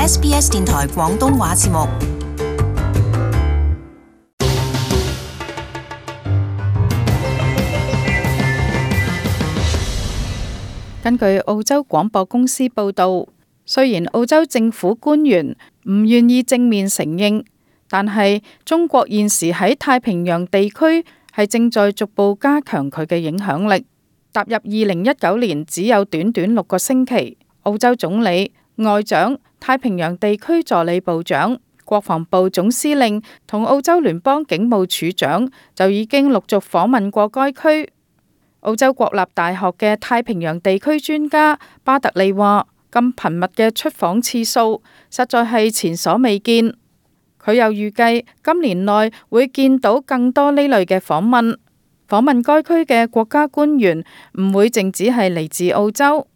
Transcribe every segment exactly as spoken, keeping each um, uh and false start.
S B S 電台廣東話節目。根據澳洲廣播公司報導，雖然澳洲政府官員唔願意正面承認，但係中國現時喺太平洋地區係正在逐步加強佢嘅影響力。踏入二零一九年只有短短六個星期，澳洲總理、外長、太平洋地區助理部長、國防部總司令同澳洲聯邦警務處長就已經陸續訪問過該區。澳洲國立大學嘅太平洋地區專家巴特利話：咁頻密嘅出訪次數，實在係前所未見。佢又預計今年內會見到更多呢類嘅訪問。訪問該區嘅國家官員唔會淨只係嚟自澳洲。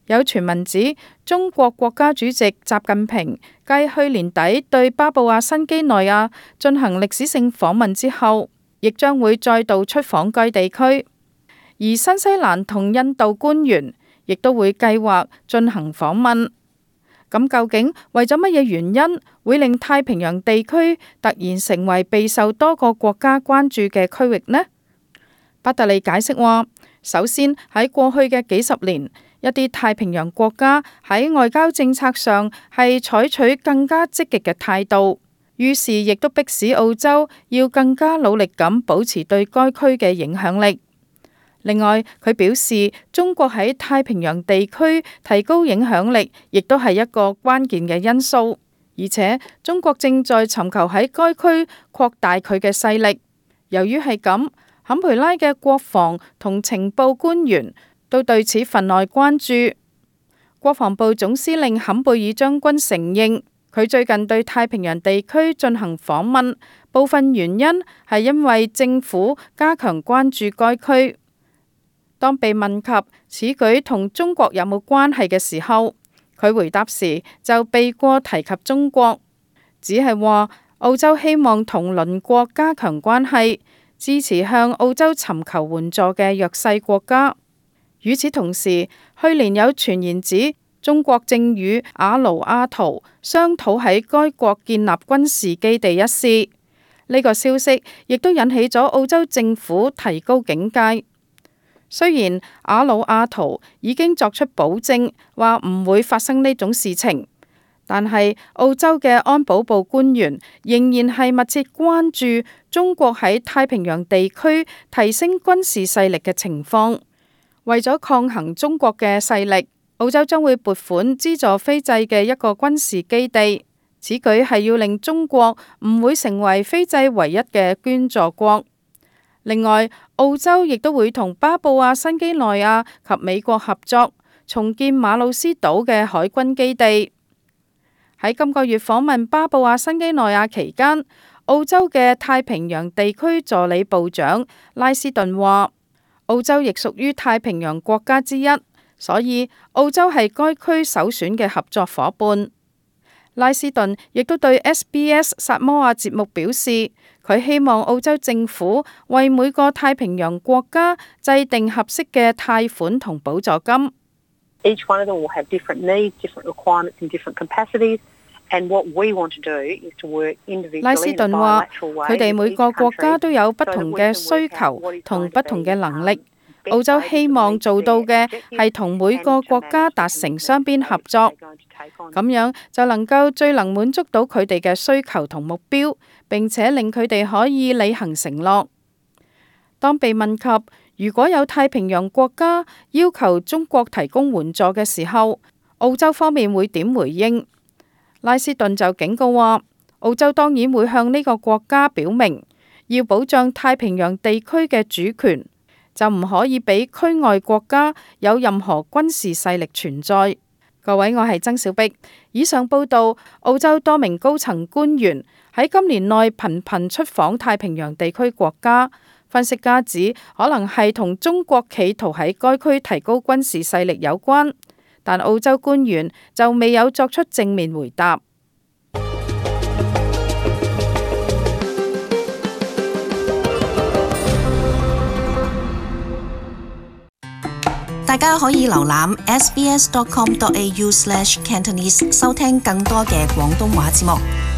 有傳聞指，中國國家主席習近平繼去年底對巴布亞新畿內亞進行歷史性訪問之後，亦將會再度出訪該地區。而新西蘭同印度官員亦都會計劃進行訪問。咁究竟為咗乜嘢原因會令太平洋地區突然成為備受多個國家關注嘅區域呢？巴特利解釋話，首先喺過去嘅幾十年，一啲太平洋國家喺外交政策上係採取更加積極嘅態度，於是亦都迫使澳洲要更加努力咁保持對該區嘅影響力。另外，佢表示中國喺太平洋地區提高影響力，亦都係一個關鍵嘅因素。而且中國正在尋求喺該區擴大佢嘅勢力。由於係咁，坎培拉嘅國防同情報官員都對此分外關注。國防部總司令坎貝爾將軍承認，佢最近對太平洋地區進行訪問，部分原因係因為政府加強關注該區。當被問及此舉同中國有冇關係嘅時候，佢回答時就避過提及中國，只係話澳洲希望同鄰國加強關係，支持向澳洲尋求援助嘅弱勢國家。與此同時，去年有傳言指中國正與阿魯阿圖商討喺該國建立軍事基地一事，呢、這個消息亦都引起咗澳洲政府提高警戒。雖然阿魯阿圖已經作出保證，話唔會發生呢種事情，但係澳洲嘅安保部官員仍然係密切關注中國喺太平洋地區提升軍事勢力嘅情況。為咗抗衡中國嘅勢力，澳洲將會撥款資助斐濟嘅一個軍事基地。此舉係要令中國唔會成為斐濟唯一嘅捐助國。另外，澳洲亦都會同巴布亞新畿內亞及美國合作，重建馬魯斯島嘅海軍基地。喺今個月訪問巴布亞新畿內亞期間，澳洲嘅太平洋地區助理部長拉斯頓話，澳洲亦屬於太平洋國家之一，所以澳洲係該區首選嘅合作夥伴。拉斯頓亦都對 S B S 薩摩亞節目表示，佢希望澳洲政府為每個太平洋國家制定合適嘅貸款同補助金。Each one of them will have different needs, different requirements and different capacities. And what we want to do is to work individually. 拉斯頓話，佢哋每個國家都有不同嘅需求同不同嘅能力。澳洲希望做到嘅係同每個國家達成雙邊合作，咁樣就能夠最能滿足到佢哋嘅需求同目標，並且令佢哋可以履行承諾。當被問及如果有太平洋國家要求中國提供援助嘅時候，澳洲方面會點回應？拉斯頓就警告話，澳洲當然會向呢個國家表明，要保障太平洋地區嘅主權，就唔可以俾區外國家有任何軍事勢力存在。各位，我係曾小碧。以上報道，澳洲多名高層官員喺今年內頻頻出訪太平洋地區國家。分析家指，可能係同中國企圖喺該區提高軍事勢力有關，但澳洲官員就未有作出正面回答。大大家可以瀏覽 s b s dot com dot a u slash cantonese 收聽更多嘅廣東話節目。